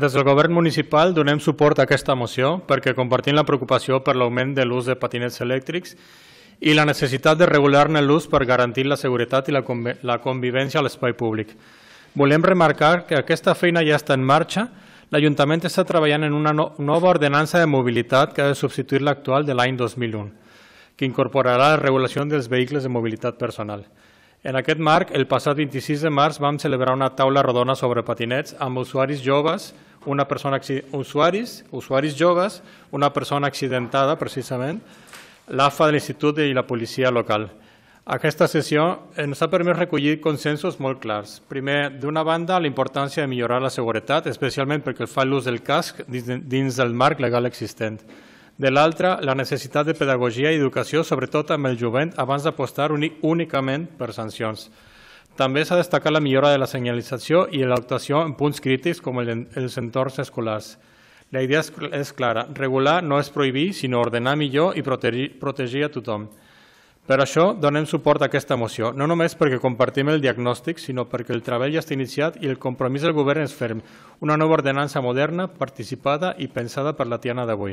Des del Govern municipal donem suport a aquesta moció perquè compartim la preocupació per l'augment de l'ús de patinets elèctrics i la necessitat de regular-ne l'ús per garantir la seguretat i la convivència a l'espai públic. Volem remarcar que aquesta feina ja està en marxa. L'Ajuntament està treballant en una nova ordenança de mobilitat que ha de substituir l'actual de l'any 2001, que incorporarà la regulació dels vehicles de mobilitat personal. En aquest marc, el passat 26 de març vam celebrar una taula rodona sobre patinets amb usuaris joves, una persona accidentada, precisament, l'AFA de l'Institut i la policia local. Aquesta sessió ens ha permès recollir consensos molt clars. Primer, d'una banda, la importància de millorar la seguretat, especialment perquè fa l'ús del casc dins del marc legal existent. De l'altra, la necessitat de pedagogia i educació, sobretot amb el jovent, abans d'apostar únicament per sancions. També s'ha destacat la millora de la senyalització i l'actuació en punts crítics com els entorns escolars. La idea és clara, regular no és prohibir, sinó ordenar millor i protegir a tothom. Per això donem suport a aquesta moció, no només perquè compartim el diagnòstic, sinó perquè el treball ja està iniciat i el compromís del govern és ferm. Una nova ordenança moderna, participada i pensada per la Tiana d'avui.